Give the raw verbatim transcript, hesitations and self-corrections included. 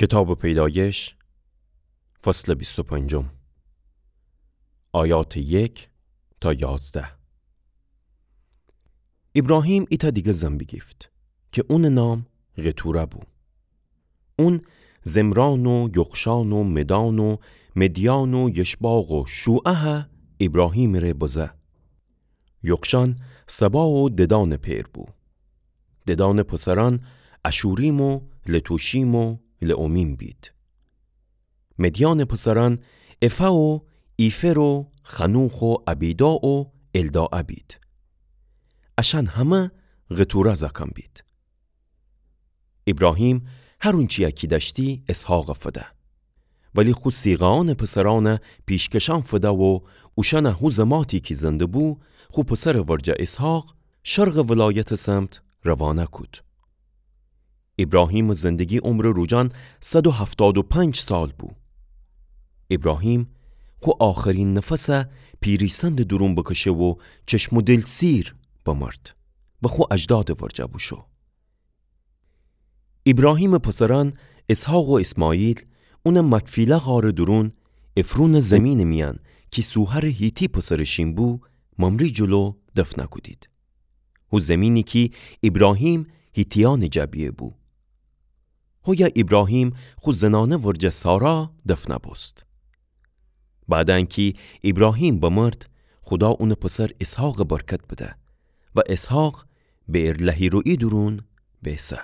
کتابٚ پیدایش، فصلٚ بیست و پنجم، آیاتٚ یک تا یازده. ایبراهیم ایتأ دیگر زن بیگیفت کی اونٚ نام قتوره بو. اون زمران و یقشان و مدان و مدیان و یشباق و شوعه ایبراهیمٚ ره بزه. یقشان سبا و ددانٚ پئر بو. ددانٚ پسرأن اشوریم و لتوشیم و لعمیم بید. مدیانٚ پسرأن افا و ایفر و خنوخ و ابیدا و الداعا بید. اشأن همه قتوره زأکأن بید. ایبراهیم هر اونچیی کی دأشتی اسحاقَ فده. ولی خو صیغه‌یأنٚ پسرأنَ پیشکشأن فده و اوشأنَ هو زماتی کی زنده‌بو، خو پسرٚ ورجه اسحاق، شرقٚ ولایتٚ سمت روانه کود. ایبراهیمٚ زندگی عمرٚ روجأن صد و هفتاد و پنج سال بو. ایبراهیم خو آخرین نفسَ پیری‌سندٚ دورون بکشه و چشم و دیل سیر بمرد و خو اجدادٚ ورجه بوشو. ایبراهیمٚ پسرأن اسحاق و اسماعیل اونَ مکفیله غارٚ دورون، عفرونٚ زیمینٚ میأن کی سوهرٚ حیتی پسرٚ شین بو، ممره جلو دفنَ کودید. هو زیمینی کی ایبراهیم حیتیأنٚ جا بیه بو. هویه ایبراهیم خو زنانه ورجه سارا دفنَ بوست. بعدٚ انکی ایبراهیم بمرد، خودا اونٚ پسر اسحاقَ برکت بده و اسحاق بئرلهیروئی دورون بیسه.